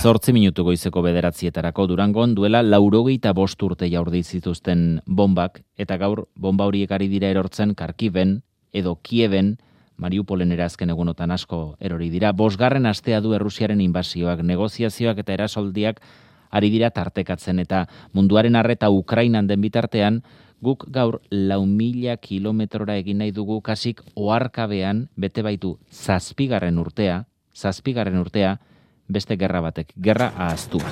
8 minutu goizeko 9:00 Durangon duela 85 urte jaurdi zituzten bombak, eta gaur bomba horiek ari dira erortzen Kharkiven edo Kieven, Mariupolen ere azken egunotan asko erori dira. 5. astea du Errusiaren inbasioak, negoziazioak eta erasoldiak ari dira tartekatzen, eta munduaren arreta Ukrainan den bitartean, guk gaur 4.000 kilometrora egin nahi dugu kasik oharkabean bete baitu 7. urtea, beste gerra batek, gerra ahaztuak.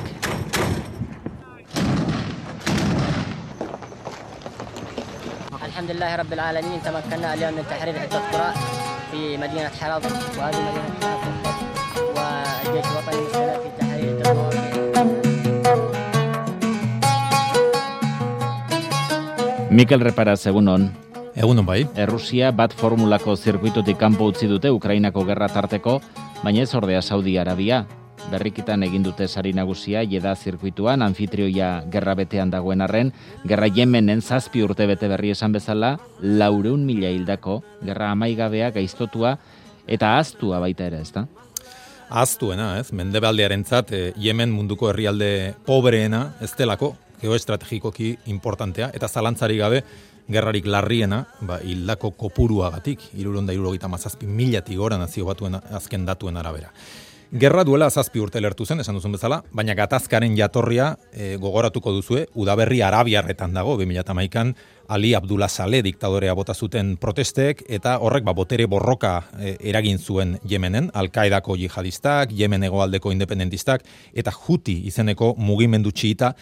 Alhamdulillah rabbil alamin tamakkanna al-yawm min tahrir iddat qura fi madinat Harad wa hadhihi madinat Harad wa al-jaysh al-watani musala fi tahrir iddat Mikel Reparaz, egunon. Egunon bai. Errusia bat formulako zirkuitutik kanpo utzi dute Ukrainako gerra tarteko, baina ez ordea Saudi Arabia. Berrikitan egin dute sari nagusia Jeddah zirkuituan, anfitrioia gerra betean dagoen arren, gerra Yemenen 7 urte bete berri esan bezala, 400.000 hildako, gerra amaigabea, gaiztotua eta ahaztua baita ere, ezta? Ahaztuena, ez? Mendebaldearentzat Yemen munduko herrialde pobreena, ez delako, geoestrategikoki importantea, eta zalantzari gabe, gerrarik larriena, hildako kopuruagatik, 377.000 gora nazio batuen azken datuen arabera. Gerra duela 7 urte lertu zen, esan duzun bezala, baina gatazkaren jatorria gogoratuko duzue, udaberri arabiarretan dago, 2011an Ali Abdullah Saleh diktadorea bota zuten protestek, eta horrek botere borroka eragin zuen Yemenen, Al-Qaedako jihadistak, Yemen hegoaldeko independentistak, eta Houthi izeneko mugimendu txiita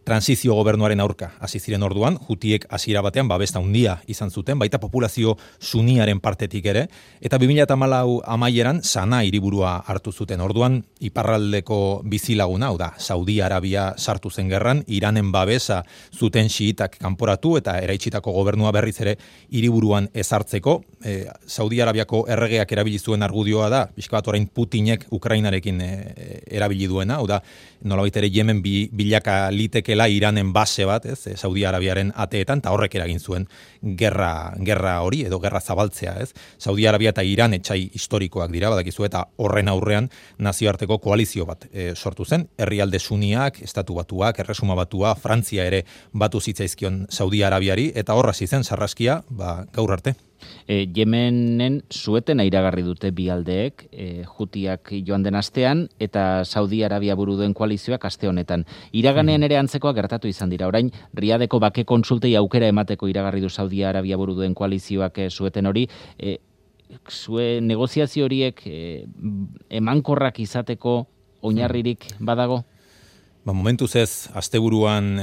transizio gobernuaren aurka hasi ziren orduan, Houthiek hasiera batean babesta handia izan zuten, baita populazio suniaren partetik ere, eta 2014 amaieran Sana hiriburua hartu zuten. Orduan iparraldeko bizilaguna, hau da, Saudi Arabia sartu zen gerran, Iranen babesa zuten xiitak kanporatu eta eraitsitako gobernua berriz ere hiriburuan ezartzeko. Saudi Arabiako erregeak erabili zuen argudioa da, pixka bat orain Putinek Ukrainarekin erabili duena, hau da, nolabait ere Yemen bilaka litekela Iranen base bat, ez, Saudi Arabiaren ateetan, eta horrek eragin zuen gerra hori, edo gerra zabaltzea, ez. Saudi Arabia eta Iran etxai historikoak dira, badakizu, eta horren aurrean nazioarteko koalizio bat sortu zen, herrialde suniak, estatu batuak, erresuma batua, Frantzia ere batu zitzaizkion Saudi Arabiari, eta horra zizen sarraskia, gaur arte. Yemenen suetena iragarri dute bi aldeek, Houthiak joan den astean, eta Saudi Arabia buru duen koalizioak aste honetan. Iraganean ere antzekoa gertatu izan dira. Orain, Riadeko bake kontsultei aukera emateko iragarri du Saudi Arabia buru duen koalizioak sueten hori. Zue negoziazio horiek emankorrak izateko oinarririk badago? Momentuz ez, asteburuan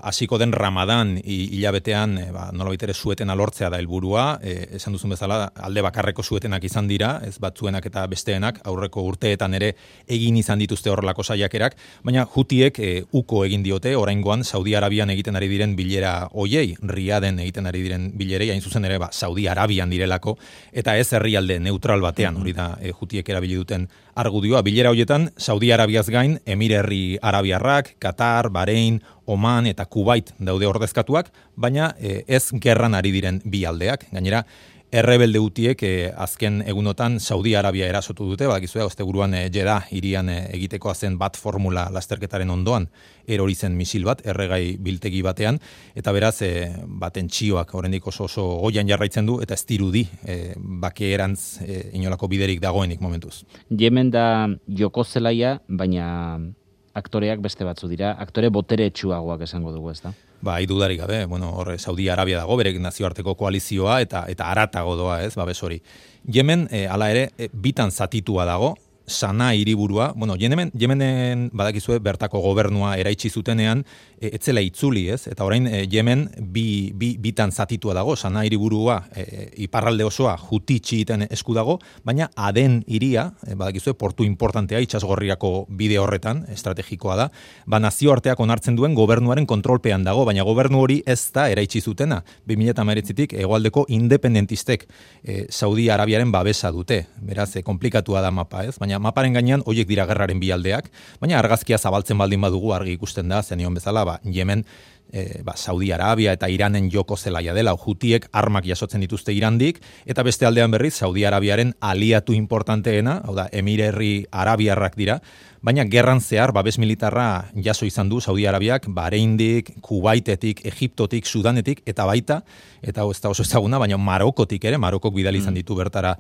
hasiko den Ramadan hilabetean nolabait ere suetena lortzea da helburua, esan duzun bezala alde bakarreko suetenak izan dira, ez batzuenak eta besteenak, aurreko urteetan ere egin izan dituzte horrelako saiakerak, baina Houthiek uko egin diote, oraingoan Saudi Arabian egiten ari diren bilera hoiei, Riaden egiten ari diren bilerei, hain zuzen ere Saudi Arabian direlako, eta ez herrialde neutral batean, hori da Houthiek erabili duten argudioa. Bilera hoietan Saudi Arabiaz gain Emirerri Arabiarrak, Qatar, Bahrein, Oman eta Kuwait daude ordezkatuak, baina ez gerran ari diren bi aldeak. Gainera, errebelde Houthiek azken egunotan Saudi Arabia erasotu dute, badakizue asteburuan Jeddah hirian egitekoa zen bat formula lasterketaren ondoan erori zen misil bat, erregai biltegi batean, eta beraz tentsioak oraindik oso goian jarraitzen du, eta ez dirudi bakeerantz inolako biderik dagoenik momentuz. Yemen da joko zelaia, baina aktoreak beste batzu dira, aktore boteretsuagoak esango dugu, ezta? Dudarik gabe, hor Saudi Arabia dago, bere nazioarteko koalizioa eta aratago doa, ez, babes hori. Yemen, hala ere, bitan zatitua dago, Sana hiriburua, Yemenen badakizue bertako gobernua eraitsi zutenean, etzela itzuli, ez? Eta orain Yemen bitan zatitua dago, Sana hiriburua iparralde osoa Houthi txiiten esku dago, baina Aden hiria, badakizue portu importantea itsasgorriako bide horretan, estrategikoa da, nazioarteak onartzen duen gobernuaren kontrolpean dago, baina gobernu hori ez da eraitsi zutena. 2019tik hegoaldeko independentistek Saudi Arabiaren babesa dute. Beraz, komplikatua da mapa, ez? Baina maparen gainean horiek dira gerraren bi aldeak, baina argazkia zabaltzen baldin badugu argi ikusten da, zenion bezala, Yemen Saudi Arabia eta Iranen joko zelaia dela, Hutiek armak jasotzen dituzte Irandik, eta beste aldean berriz Saudi Arabiaren aliatu importanteena, hau da, Emirerri Arabiarrak dira, baina gerran zehar babes militarra jaso izan du Saudi Arabiak Bahreindik, Kuwaitetik, Egiptotik, Sudanetik, eta baita, eta ez da oso ezaguna, baina Marokotik ere, Marokok bidali izan ditu bertara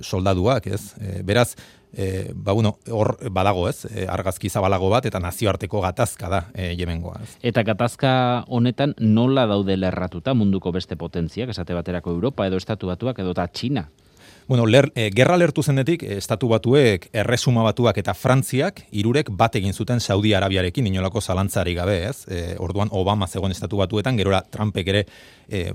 soldaduak, ez? Beraz, hor badago, ez? Argazki zabalago bat eta nazioarteko gatazka da Yemengoa. Ez? Eta gatazka honetan nola daude lerratuta munduko beste potentziak, esate baterako Europa edo Estatu Batuak edo eta Txina? Bueno, gerra lertu zenetik, Estatu Batuek, Erresuma Batuak eta Frantziak hirurek bat egin zuten Saudi Arabiarekin, inolako zalantzari gabe, ez? Orduan Obama zegoen Estatu Batuetan, gerora Trumpek ere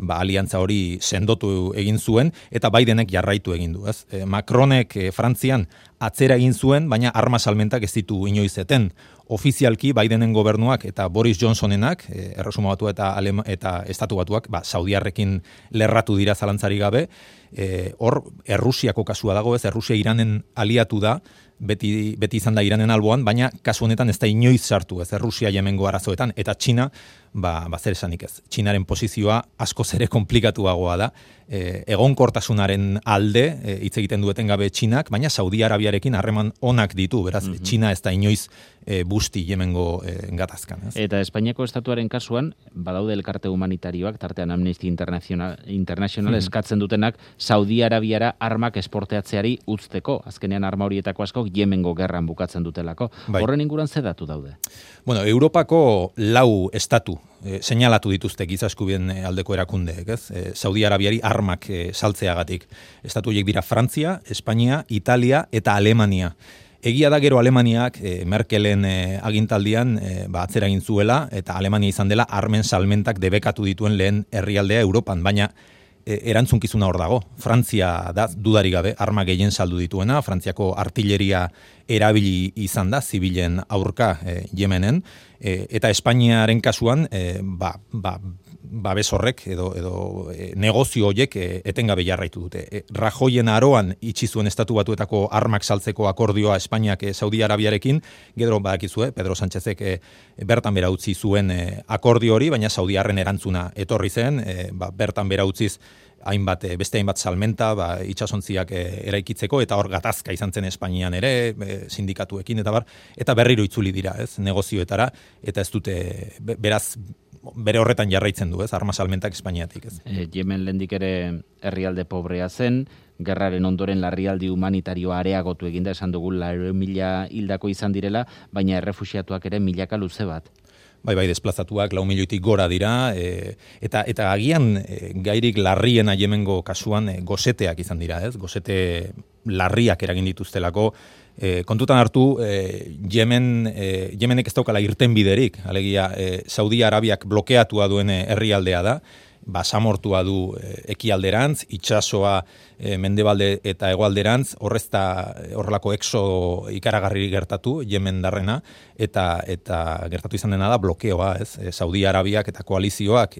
aliantza hori sendotu egin zuen, eta Bidenek jarraitu egin du, ez? Macronek Frantzian atzera egin zuen, baina arma salmentak ez ditu inoizeten. Ofizialki Bidenen gobernuak eta Boris Johnsonenak, Erresuma Batua eta Estatu Batuak, Saudiarrekin lerratu dira zalantzari gabe, hor Errusiako kasua dago, ez? Errusia Iranen aliatu da, beti izan da Iranen alboan, baina kasu honetan ez da inoiz sartu, ez? Errusia Yemengo arazoetan, eta Txina, zer esanik ez. Txinaren posizioa askoz ere komplikatuagoa da, egonkortasunaren alde hitz egiten dueten gabe Txinak, baina Saudi Arabiarekin harreman onak ditu, beraz, Txina ez da inoiz busti Yemengo gatazkan. Ez? Eta Espainiako estatuaren kasuan, badaude elkarte humanitarioak, tartean Amnesty International eskatzen dutenak, Saudi Arabiara armak esporteatzeari uzteko, azkenean arma horietako askok Yemengo gerran bukatzen dutelako. Horren inguruan ze datu daude? Bueno, Europako 4 estatu seinalatu dituzte giza eskubideen aldeko erakundeek, ez? Saudi Arabiari armak saltzeagatik. Estatu horiek dira Frantzia, Espainia, Italia eta Alemania. Egia da gero Alemaniak Merkelen agintaldian atzera egin zuela, eta Alemania izan dela armen salmentak debekatu dituen lehen herrialdea Europan, baina erantzunkizuna hor dago. Frantzia da dudarik gabe arma gehien saldu dituena, Frantziako artilleria erabili izan da zibilen aurka Yemenen, eta Espainiaren kasuan babes horrek edo negozio horiek etengabe jarraitu dute. Rajoyen aroan itxi zuen Estatu Batuetako armak saltzeko akordioa Espainiak Saudi Arabiarekin, gero badakizue, Pedro Sánchezek bertan bera utzi zuen akordio hori, baina Saudiarren erantzuna etorri zen, bertan bera utziz beste hainbat salmenta itsasontziak eraikitzeko, eta hor gatazka izan zen Espainian ere, sindikatuekin eta berriro itzuli dira, ez, negozioetara, eta ez dute, beraz, bere horretan jarraitzen du, ez, arma salmentak Espainiatik, ez. Yemen lehendik ere herrialde pobrea zen, gerraren ondoren larrialdi humanitarioa areagotu eginda, esan dugu 4.000 hildako izan direla, baina errefuxiatuak ere milaka luze bat. Bai, desplazatuak 4.000.000-tik gora dira, eta agian gairik larriena Yemengo kasuan goseteak izan dira, ez? Gosete larriak eragin dituztelako, kontutan hartu, Yemenek ez daukala irtenbiderik, alegia Saudi Arabiak blokeatua duen herrialdea da, basamortua du ekialderantz, itsasoa mendebalde eta hegoalderantz, horrelako exo ikaragarri gertatu, Yemen darrena, eta gertatu izan dena da blokeoa, ez? Saudi Arabiak eta koalizioak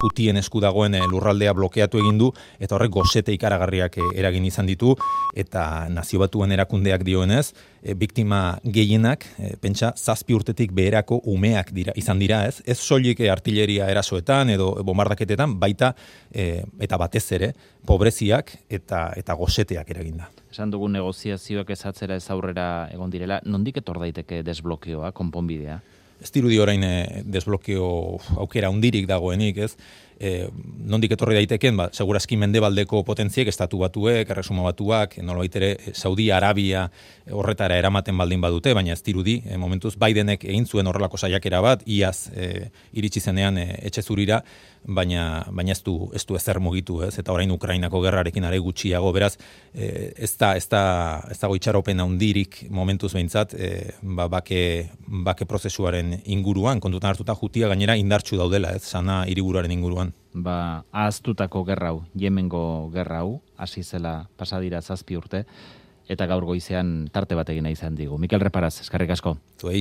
Hutien esku dagoen lurraldea blokeatu egin du, eta horrek gosete ikaragarriak eragin izan ditu, eta Nazio Batuen erakundeak dioenez, biktima gehienak, pentsa, 7 urtetik beherako umeak izan dira, ez? Ez soilik artilleria erasoetan edo bombardaketetan, baita eta batez ere, pobreziak eta goseteak eraginda. Esan dugun negoziazioak ez atzera ez aurrera egon direla, nondik etor daiteke desblokeoa, konponbidea? Ez dirudi orain desblokeo aukera hundirik dagoenik, ez? Nondik etorri daiteken, segurazki mendebaldeko potentziek, Estatu Batuek, Erresuma Batuak, nolabait ere Saudi Arabia horretara eramaten baldin badute, baina ez dirudi, momentuz Bidenek egin zuen horrelako saiakera bat, iaz iritsi zenean etxe zurira, baina ez du ezer mugitu, ez? Eta orain Ukrainako gerrarekin are gutxiago, beraz, ez dago itxaropen handirik momentuz behintzat, bake prozesuaren inguruan, kontutan hartuta Hutia gainera indartsu daudela, ez? Sana hiriburuaren inguruan. Ahaztutako gerra hau, Yemengo gerra hau, hasi zela pasadira 7 urte, eta gaur goizean tarte bat egin izan digu. Mikel Reparaz, eskerrik asko. Zuei.